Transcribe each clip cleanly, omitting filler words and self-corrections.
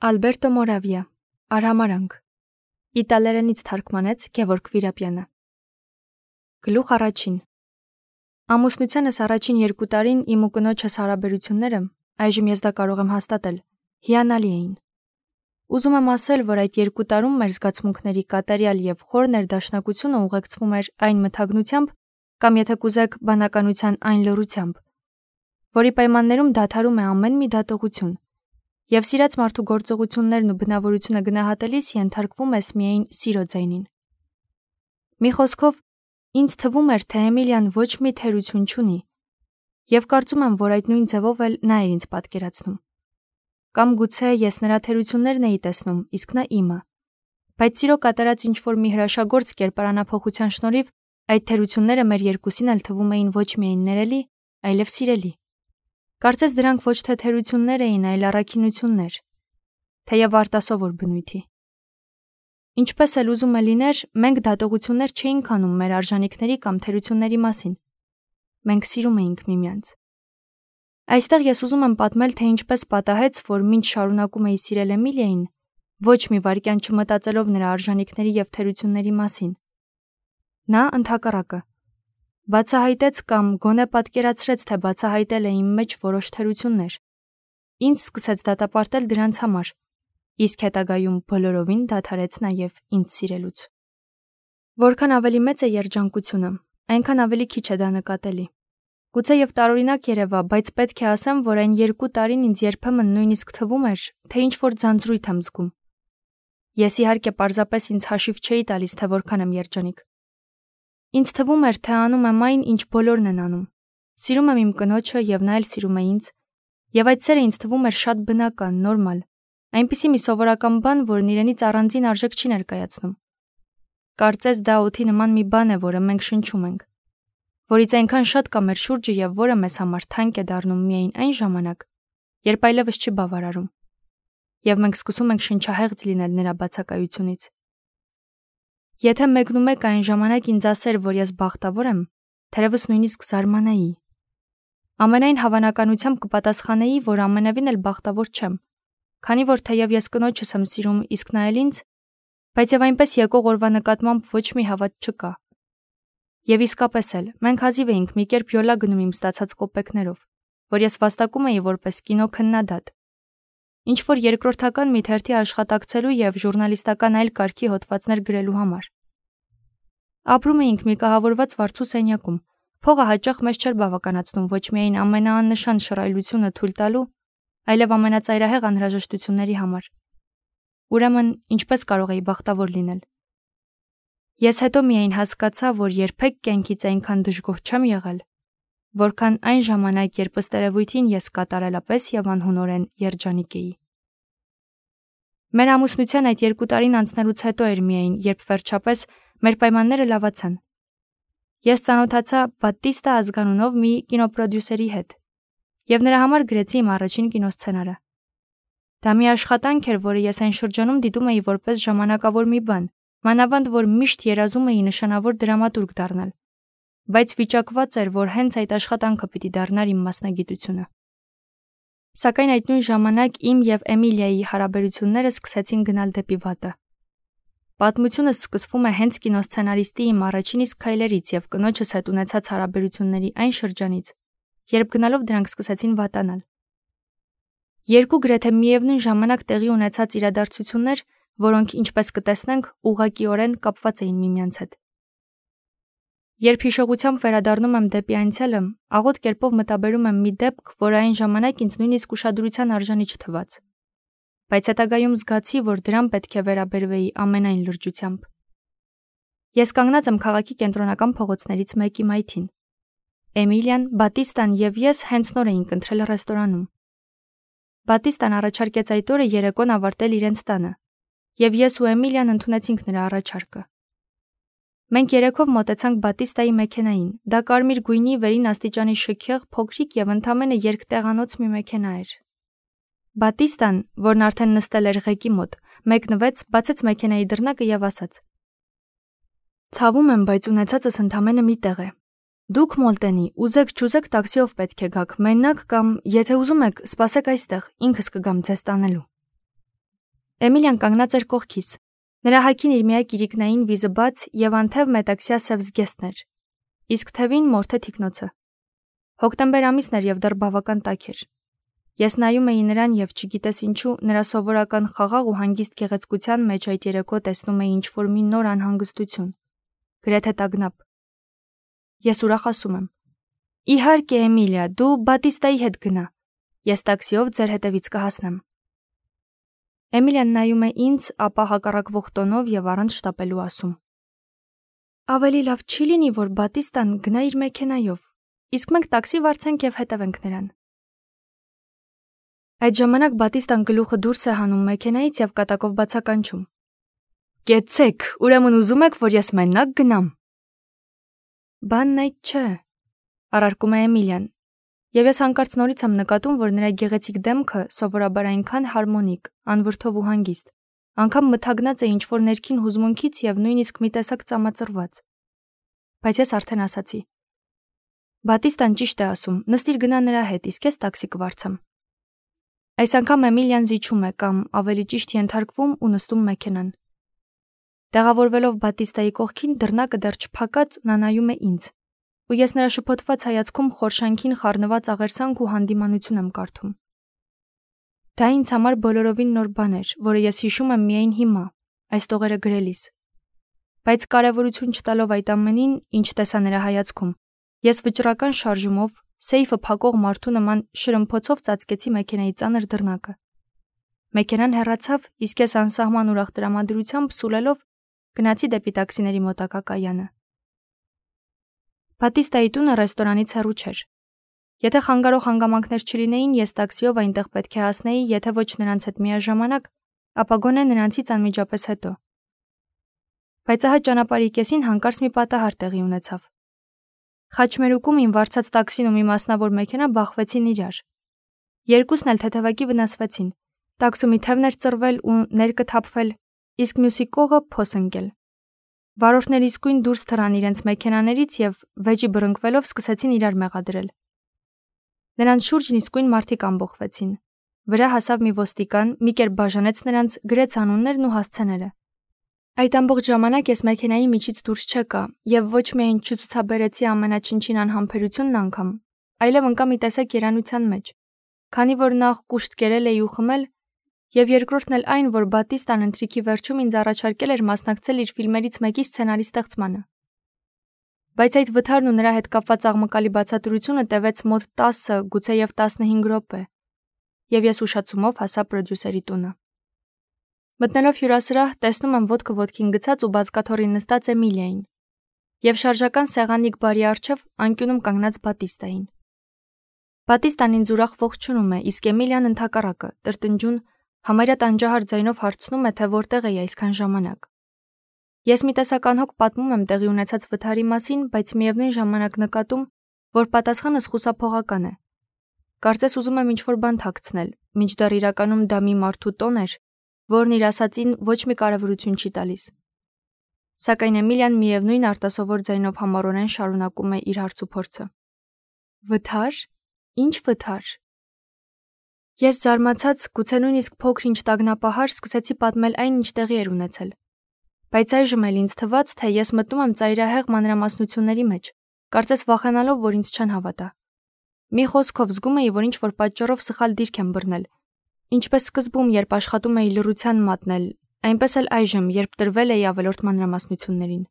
Ալբերտո Մորավիա, Արհամարանք, իտալերենից թարգմանեց Գևորգ Վիրապյանը։ Գլուխ առաջին։ Ամուսնությանս առաջին 2 տարին իմ ու կնոջս հարաբերությունները, այժմ ես դա կարող եմ հաստատել, հիանալի էին։ Ուզում եմ ասել, որ այդ 2 տարում մեր զգացմունքների կատարյալ եւ խոր ներդաշնակությունը ուղեկցվում էր այն մթագնությամբ, կամ եթե կուզեք, բանականության այն լռությամբ, որի պայմաններում դադարում է ամեն մի դատողություն, եւ սիրած մարդու գործողություններն ու բնավորությունը գնահատելիս ենթարկվում ես միայն սիրո ձայնին։ Մի խոսքով, ինձ թվում էր, թե Էմիլիան ոչ մի թերություն չունի, եւ կարծում եմ, որ այդ նույն ձևով էլ նա էր ինձ պատկերացնում։ Կամ գուցե ես նրա թերություններն էի տեսնում, իսկ նա իմը, բայց սիրո կատարած ինչ-որ մի հրաշագործ կերպարանափոխության շնորհիվ այդ թերությունները մեր երկուսին էլ թվում էին ոչ միայն ներելի, այլև սիրելի։ Կարծես դրանք ոչ թե թերություններ էին, այլ առաքինություններ, թեև արտասովոր բնույթի։ Ինչպես էլ ուզում է լիներ, մենք դատողություններ չէինք անում մեր արժանինքների կամ թերությունների մասին։ Մենք սիրում էինք միմյանց։ Այստեղ ես ուզում եմ պատմել, թե ինչպես պատահեց, որ մինչ շարունակում էի սիրել Էմիլիային, ոչ մի վայրկյան չմտածելով նրա արժանինքների եւ թերությունների մասին։ Նա ընդհակառակը բացահայտեց կամ գոնե պատկերացրեց, թե բացահայտել է իմ մեջ որոշ թերություններ։ Ինձ սկսեց դատապարտել դրանց համար, իսկ հետագայում բոլորովին դադարեց նաև ինձ սիրելուց։ Որքան ավելի մեծ է երջանկությունը, այնքան ավելի քիչ է դա նկատելի։ Գուցե եւ տարօրինակ երևա, բայց պետք է ասեմ, որ այն 2 տարին ինձ երբեմն նույնիսկ թվում էր, թե ինչ-որ ձանձրույթ եմ զգում։ Ես իհարկե պարզապես ինձ հաշիվ չէի տալիս, թե որքան եմ երջանիկ։ Ինձ թվում էր, թե անում եմ այն, ինչ բոլորն են անում։ Սիրում եմ իմ կնոջը եւ նա էլ սիրում է ինձ, եւ այդ սերը ինձ թվում էր շատ բնական, նորմալ, այնպիսի մի սովորական բան, որն իրենից առանձին արժեք չի ներկայացնում։ Կարծես դա օդի նման մի բան է, որը մենք շնչում ենք, որից այնքան շատ կա մեր շուրջը եւ որը մեզ համար թանկ է դառնում միայն այն ժամանակ, երբ այլևս չի բավարարում, եւ մենք սկսում ենք շնչահեղձ լինել նրա բացակայությունից։ Եթե մեկնումեկ այն ժամանակ ինձ ասեր, որ ես բախտավոր եմ, թերևս նույնիսկ զարմանայի։ Ամենայն հավանականությամբ կպատասխանեի, որ ամենևին էլ բախտավոր չեմ, քանի որ թեև ես կնոջս եմ սիրում, իսկ նա էլ ինձ, բայց եւ այնպես եկող օրվա նկատմամբ ոչ մի հավատ չկա։ Եվ իսկապես էլ, մենք հազիվ էինք մի կերպ յոլա գնում իմ ստացած կոպեկներով, որ ես վաստակում էի որպես կինո քննադատ։ Ինչ որ երկրորդական մի թերթի աշխատակցելու եւ ժուրնալիստական այլ կարգի հոդվածներ գրելու համար։ Ապրում էինք մի կահավորված վարձու սենյակում։ Փողը հաճախ մեզ չէր բավականացնում ոչ միայն ամենաաննշան շռայլությունը թույլ տալու, այլև ամենածայրահեղ անհրաժեշտությունների համար։ Ուրեմն, ինչպես կարող էի բախտավոր լինել։ Ես հետո միայն հասկացա, որ երբեք կյանքից այնքան դժգոհ չեմ եղել, որքան այն ժամանակ, երբ ըստ երևույթին ես կատարելապես եւ անհունորեն երջանիկ էի։ Մեր ամուսնության այդ 2 տարին անցնելուց հետո էր միայն, երբ վերջապես մեր պայմանները լավացան։ Ես ծանոթացա Բատտիստա ազգանունով մի կինոպրոդյուսերի հետ եւ նրա համար գրեցի իմ առաջին կինոսցենարը։ Դա մի աշխատանք էր, որը ես այն շրջանում դիտում էի որպես ժամանակավոր մի բան, մանավանդ որ միշտ երազում էի նշանավոր դրամատուրգ դառնալ, բայց վիճակված էր, որ հենց այդ աշխատանքը պիտի դառնար իմ մասնագիտությունը։ Սակայն այդ նույն ժամանակ իմ եւ Էմիլիայի հարաբերությունները սկսեցին գնալ դեպի վատը։ Պատմությունս սկսվում է հենց կինոսցենարիստի իմ առաջին իսկ քայլերից եւ կնոջս հետ ունեցած հարաբերությունների այն շրջանից, երբ գնալով դրանք սկսեցին վատանալ։ Երկու գրեթե միևնույն ժամանակ տեղի ունեցած իրադարձություններ, որոնք, ինչպես կտեսնենք, ուղղակիորեն կապված էին միմյանց հետ։ Երբ հիշողությամբ վերադառնում եմ դեպի անցյալը, աղոտ կերպով մտաբերում եմ մի դեպք, որը այն ժամանակ ինձ նույնիսկ ուշադրության արժանի չթվաց։ Բայց հետագայում զգացի, որ դրան պետք է վերաբերվեի ամենայն լրջությամբ։ Ես կանգնած եմ քաղաքի կենտրոնական փողոցներից մեկի մայթին։ Էմիլիան, Բատտիստան եւ ես հենց նոր էինք ընտրել ռեստորանում։ Բատտիստան առաջարկեց այդ օրը երեկոն ավարտել իրենց տանը, եւ ես ու Էմիլիան ընդունեցինք նրա առաջարկը։ Մենք երեքով մոտեցանք Բատտիստայի մեքենային։ Դա կարմիր գույնի վերին աստիճանի շքեղ, փոքրիկ եւ ընդամենը երկտեղանոց մի մեքենա էր։ Բատտիստան, որն արդեն նստել էր ղեկի մոտ, մեկնվեց, բացեց մեքենայի դռնակը եւ ասաց. «Ցավում եմ, բայց ունեցածս ընդամենը մի տեղ է։ Դուք Մոլտենի, ուզեք չուզեք տաքսիով պետք է գաք, մենակ կամ, եթե ուզում եք, սպասեք այստեղ, ինքս կգամ ձեզ տանելու»։ Էմիլիան կանգնած էր կողքիս։ Նրա հագին իր միակ իրիկնային վիզը բաց եւ անթև մետաքսյա սև զգեստներ։ Իսկ թևին մորթե թիկնոցը։ Հոկտեմբեր ամիսն էր եւ դեռ բավական տաք էր։ Ես նայում էի նրան եւ չգիտես ինչու նրա սովորական խաղաղ ու հանգիստ գեղեցկության մեջ այդ երեկո տեսնում էի ինչ-որ մի նոր անհանգստություն։ Գրեթե տագնապ։ Ես ուրախ ասում եմ. Իհարկե, Էմիլիա, դու Բատիստայի հետ գնա։ Ես տաքսիով ձեր հետևից կհասնեմ։ Էմիլիան նայում է ինձ, ապա հակառակվող տոնով եւ առանց շտապելու ասում. Ավելի լավ չի լինի, որ Բատիստան գնա իր մեքենայով, իսկ մենք տաքսի վարձենք եւ հետևենք նրան։ Այդ ժամանակ Բատիստան գլուխը դուրս է հանում մեքենայից եւ կատակով բացականչում. Կեցեք, ուրեմն ուզում եք, որ ես մենակ գնամ։ Բանն այդ չէ, առարկում է Էմիլիան, եւ ես հանկարծ նորից եմ նկատում, որ նրա գեղեցիկ դեմքը սովորաբար այնքան հարմոնիկ, անվրդով ու հանգիստ, անգամ մթագնած է ինչ-որ ներքին հուզմունքից եւ նույնիսկ մի տեսակ ծամածրված։ Բայց ես արդեն ասացի. Բատիստան ճիշտ է ասում, նստիր գնա նրա հետ, իսկ ես տաքսի կվարձեմ։ Այս անգամ Էմիլիան զիջում է կամ ավելի ճիշտ ենթարկվում ու նստում մեքենան։ Տեղավորվելով Բատիստայի կողքին, դռնակը դեռ չփակած նա նայում է ինձ, ու ես նրա շփոթված հայացքում խորշանքին խառնված աղերսանք ու հանդիմանություն եմ կարդում։ Դա ինձ համար բոլորովին նոր բան էր, որը ես հիշում եմ միայն հիմա, այս տողերը գրելիս։ Բայց կարևորություն չտալով այդ ամենին, ինչ տեսա նրա հայացքում, ես վճռական շարժումով, սեյֆը փակող մարդու նման շրմփոցով ծածկեցի մեքենայի ծանր դռնակը։ Մեքենան հեռացավ, իսկ ես անսահման ուրախ տրամադրությամբ սուլելով գնացի դեպի տաքսիների մոտակա կայանը։ Բատիստայի տունը ռեստորանից հեռու չէր։ Եթե խանգարող հանգամանքներ չլինեին, ես տաքսիով այնտեղ պետք է հասնեի, եթե ոչ նրանց հետ միաժամանակ, ապա գոնե նրանցից անմիջապես հետո։ Բայց ահա ճանապարհի կեսին հանկարծ մի պատահար տեղի ունեցավ։ Խաչմերուկում իմ վարձած տաքսին ու մի մասնավոր մեքենա բախվեցին իրար։ Երկուսն էլ թեթևակի վնասվեցին։ Տաքսումի թևն էր ծռվել ու ներկը թափվել, իսկ մյուսի կողը փոս ընկել։ Վարորդները իսկույն դուրս թռան իրենց մեքենաներից եւ վեճի բռնկվելով սկսեցին իրար մեղադրել։ Նրանց շուրջն իսկույն մարդիկ ամբողջվեցին։ Վրա հասավ մի ոստիկան, մի կերպ բաժանեց նրանց, գրեց անուններն ու հասցեները։ Այդ ամբողջ ժամանակ ես մեքենայի միջից դուրս չեկա եւ ոչ միայն չցուցաբերեցի ամենաչնչին անհամբերությունն անգամ, այլև ընկա մի տեսակ երանության մեջ, քանի որ նախ կուշտ կերել էի ու խմել, եւ երկրորդն էլ այն, որ Բատիստան ընթրիքի վերջում ինձ առաջարկել էր մասնակցել իր ֆիլմերից մեկի սցենարի ստեղծմանը։ Բայց այդ վթարն ու նրա հետ կապված աղմկալի բացատրությունը տևեց մոտ 10, գուցեև 15 րոպե, եւ ես ուշացումով հասա պրոդյուսերի տունը։ Մտնելով հյուրասրահ, տեսնում եմ ոտքը ոտքին գցած ու բազկաթոռին նստած Էմիլիային, եւ շարժական սեղանիկ բարի առջև անկյունում կանգնած Բատիստային։ Բատիստան ինձ ուրախ ողջունում է, իսկ Էմիլիան ընդհակառակը, տրտնջուն, համարյա տանջահար ձայնով հարցնում է, թե որտեղ էի այսքան ժամանակ։ Ես մի տեսակ անհոգ պատմում եմ տեղի ունեցած վթարի մասին, բայց միևնույն ժամանակ նկատում, որ պատասխանս խուսափողական է։ Կարծես ուզում եմ ինչ-որ բան թաքցնել, մինչդեռ իրականում դա մի մարդու տոն էր, որն իր ասածին ոչ մի կարևորություն չի տալիս։ Սակայն Էմիլիան միևնույն արտասովոր ձայնով համառորեն շարունակում է իր հարցուփորձը։ Վթար? Ինչ վթար։ Ես զարմացած, գուցե նույնիսկ փոքր-ինչ տագնապահար սկսեցի պատմել այն, ինչ տեղի էր ունեցել։ Բայց այժմ էլ ինձ թվաց, թե ես մտնում եմ ծայրահեղ մանրամասնությունների մեջ, կարծես վախենալով, որ ինձ չեն հավատա։ Մի խոսքով զգում էի, որ ինչ-որ պատճառով սխալ դիրք եմ բռնել։ Ինչպես սկզբում, երբ աշխատում էի լռության մատնել, այնպես էլ այժմ, երբ տրվել էի ավելորդ մանրամասնություններին։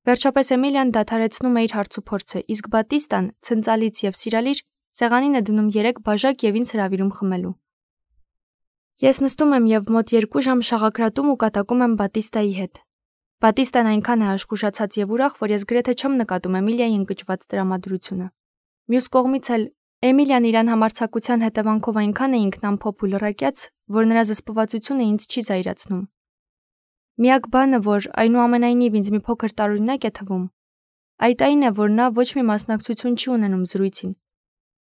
Վերջապես Էմիլիան դադարեցնում է իր հարցուփորձը, իսկ Բատիստան, ցնծալից եւ սիրալիր, սեղանին է դնում 3 բաժակ եւ ինձ հրավիրում խմելու։ Ես նստում եմ եւ մոտ 2 ժամ շաղակրատում ու կատակում եմ Բատիստայի հետ։ Բատիստան այնքան է աշխուժացած եւ ուրախ, որ ես գրեթե չեմ նկատում Էմիլիայի ընկճված տրամադրությունը։ Մյուս կողմից էլ Էմիլիան իրան համարձակության հետևանքով այնքան է ինքնամփոփ ու լռակյաց, որ նրա զսպվածությունը ինձ չի զայրացնում։ Միակ բանը, որ այնուամենայնիվ ինձ մի փոքր տարօրինակ է թվում, այդ այն է, որ նա ոչ մի մասնակցություն չի ունենում զրույցին,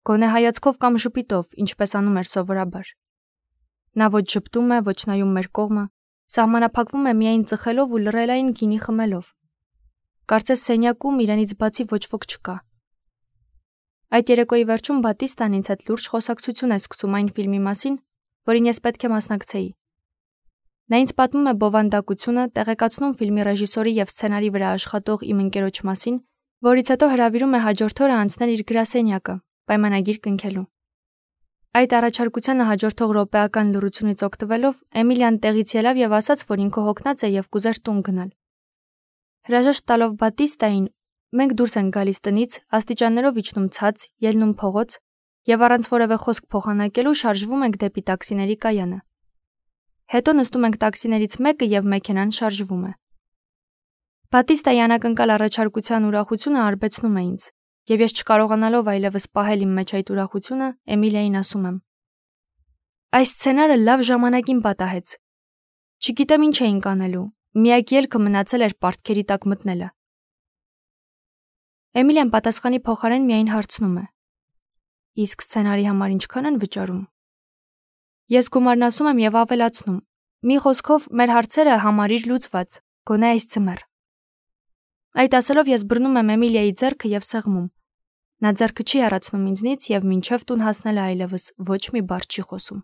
գոնե հայացքով կամ ժպիտով, ինչպես անում էր սովորաբար։ Նա ոչ ժպտում է, ոչ նայում մեր կողմը, սահմանափակվում է միայն ծխելով ու լռելային գինի խմելով։ Կարծես սենյակում իրենից բացի ոչ ոք չկա։ Այդ երեկոյի վերջում Բատիստան ինձ հետ լուրջ խոսակցություն է սկսում այն ֆիլմի մասին, որին ես պետք է մասնակցեի։ Նա ինձ պատմում է բովանդակությունը, տեղեկացնում ֆիլմի ռեժիսորի եւ սցենարի վրա աշխատող իմ ընկերոջ մասին, որից հետո հրավիրում է հաջորդ օրը անցնել իր գրասենյակը, պայմանագիր կնքելու։ Այդ առաջարկությանը հաջորդող րոպեական լռությունից օգտվելով Էմիլիան տեղից ելավ եւ ասաց, որ ինքը հոգնած է եւ կուզեր տուն գնալ։ Հրաժեշտ տալով Բատիստային, մենք դուրս ենք գալիս տնից, աստիճաններով իջնում ցած, ելնում փողոց եւ առանց որևէ խոսք փոխանակելու շարժվում ենք դեպի տաքսիների կայանը։ Հետո նստում ենք տաքսիներից մեկը եւ մեքենան շարժվում է։ Բատիստայի անակնկալ առաջարկության ուրախությունը արբեցնում է ինձ, եւ ես չկարողանալով այլևս պահել իմ մեջ այդ ուրախությունը, Էմիլիային ասում եմ. Այս սցենարը լավ ժամանակին պատահեց։ Չգիտեմ ինչ էինք անելու, միակ ելքը մնացել էր պարտքերի տակ մտնելը։ Էմիլիան պատասխանի փոխարեն միայն հարցնում է. Իսկ սցենարի համար ինչքան են վճարում։ Ես գումարն ասում եմ եւ ավելացնում. մի խոսքով մեր հարցերը համարիր լուծված, գոնե այս ձմեռ։ Այդ ասելով ես բռնում եմ Էմիլիայի ձեռքը եւ սեղմում։ Նա ձեռքը չի հեռացնում ինձնից եւ մինչեւ տուն հասնելը այլևս ոչ մի բառ չի խոսում։